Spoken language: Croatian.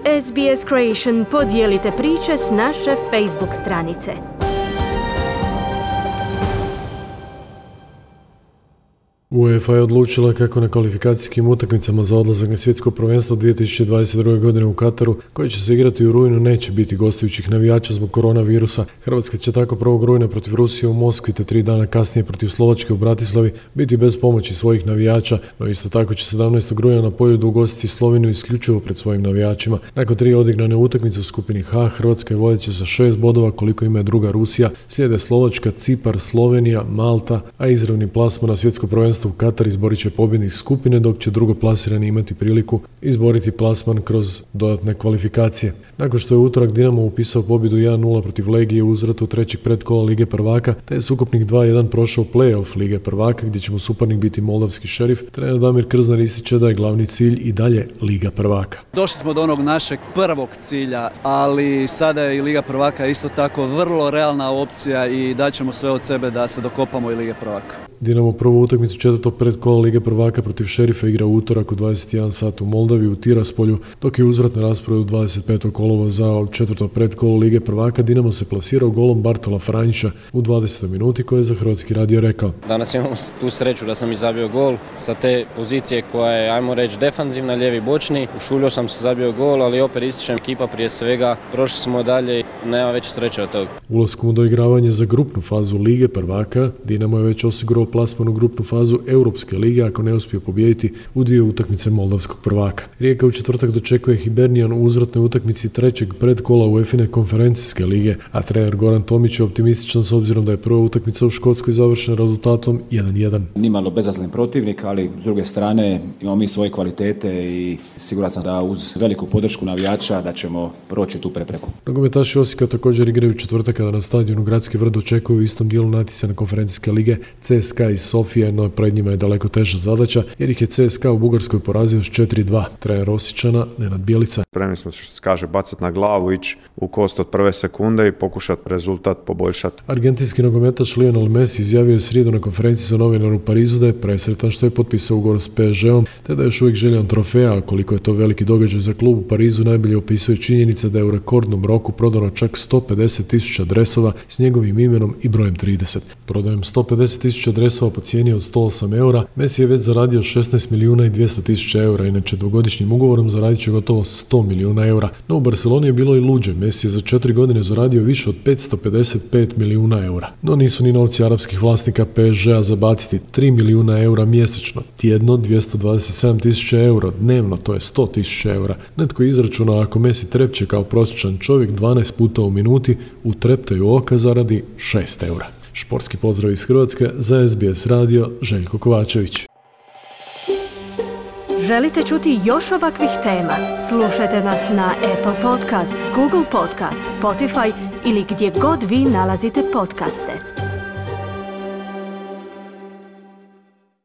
SBS Creation podijelite priče s naše Facebook stranice. UEFA je odlučila kako na kvalifikacijskim utakmicama za odlazak na svjetsko prvenstvo 2022. godine u Kataru, koji će se igrati u rujnu, neće biti gostujućih navijača zbog koronavirusa. Hrvatska će tako 1. rujna protiv Rusije u Moskvi te 3 dana kasnije protiv Slovačke u Bratislavi biti bez pomoći svojih navijača, no isto tako će 17. rujna na Poljudu ugostiti Sloveniju isključivo pred svojim navijačima. Nakon 3 odigrane utakmice u skupini H, Hrvatska je vodeća sa 6 bodova koliko ima druga Rusija, slijede Slovačka, Cipar, Slovenija, Malta, a izravni plasman na svjetsko prvenstvo u Katar izborit će pobjednik skupine, dok će drugoplasirani imati priliku izboriti plasman kroz dodatne kvalifikacije. Nakon što je u utorak Dinamo upisao pobjedu 1-0 protiv Legije u uzvratu trećeg predkola Lige prvaka, te je s ukupnih 2-1 prošao play-off Lige prvaka, gdje će mu suparnik biti moldavski Šerif, trener Damir Krznar ističe da je glavni cilj i dalje Liga prvaka. Došli smo do onog našeg prvog cilja, ali sada je i Liga prvaka isto tako vrlo realna opcija i daćemo sve od sebe da se dokopamo i Lige prvaka. Dinamo prvu utakmicu četvrtog predkola Lige prvaka protiv Šerifa igra u utorak u 21 sat u Moldavi u Tiraspolju, dok je uzvrat na rasporedu 25. kolovoza četvrto predkolo Lige prvaka. Dinamo se plasirao golom Bartola Franjića u 20. minuti, koji je za Hrvatski radio rekao: Danas imamo tu sreću da sam i zabio gol sa te pozicije koja je, ajmo reći, defanzivna, lijevi bočni. Ušuljio sam se, zabio gol, ali opet ističem ekipa prije svega. Prošli smo dalje i nema veće sreće od toga. Ulaskom u doigravanje za grupnu fazu Lige prvaka, Dinamo je već osigurao plasman u grupnu fazu Europske lige ako ne uspije pobijediti u 2 utakmice moldavskog prvaka. Rijeka u četvrtak dočekuje Hibernian u uzvratnoj utakmici trećeg predkola UEFA-ine konferencijske lige, a trener Goran Tomić je optimističan s obzirom da je prva utakmica u Škotskoj završena rezultatom 1-1. Nimalo bezazlen protivnik, ali s druge strane imamo mi svoje kvalitete i siguran sam da uz veliku podršku navijača da ćemo proći tu prepreku. Nogometaši Osijeka također igraju četvrtak kada na stadionu Gradski vrt očekuju u istom dijelu natjecanja konferencijske lige CSKA iz Sofije, no pred njima je daleko teža zadaća jer ih je CSKA u Bugarskoj porazio s 4-2. Trener Osječana Nenad Bjelica: Spremni smo, što se kaže, bacati na glavu, ići u kost od prve sekunde i pokušati rezultat poboljšati. Argentinski nogometaš Lionel Messi izjavio je srijedu na konferenciji za novinare u Parizu da je presretan što je potpisao ugovor s PSG-om, te da je još uvijek željan trofeja, a koliko je to veliki događaj za klub u Parizu najbolje opisuje činjenica da je u rekordnom roku prodano čak 150.000 dresova s njegovim imenom i brojem 30. Prodajem 150.000 dresova po cijeni od 108 eura, Messi je već zaradio 16.200.000 eura, inače dvogodišnjim ugovorom zaradit će gotovo 100 milijuna eura. No u Barceloni je bilo i luđe, Messi je za 4 godine zaradio više od 555 milijuna eura. No nisu ni novci arapskih vlasnika PSG-a zabaciti, 3 milijuna eura mjesečno, tjedno 227.000 eura, dnevno to je 100.000 eura. Netko je izračunao ako Messi trepće kao prosječan čovjek 12 puta u minuti, u treptaju oka zaradi 6 eura. Športski pozdrav iz Hrvatske, za SBS radio Željko Kovačević. Želite čuti još ovakvih tema? Slušajte nas na Apple Podcast, Google Podcast, Spotify ili gdje god vi nalazite podcaste.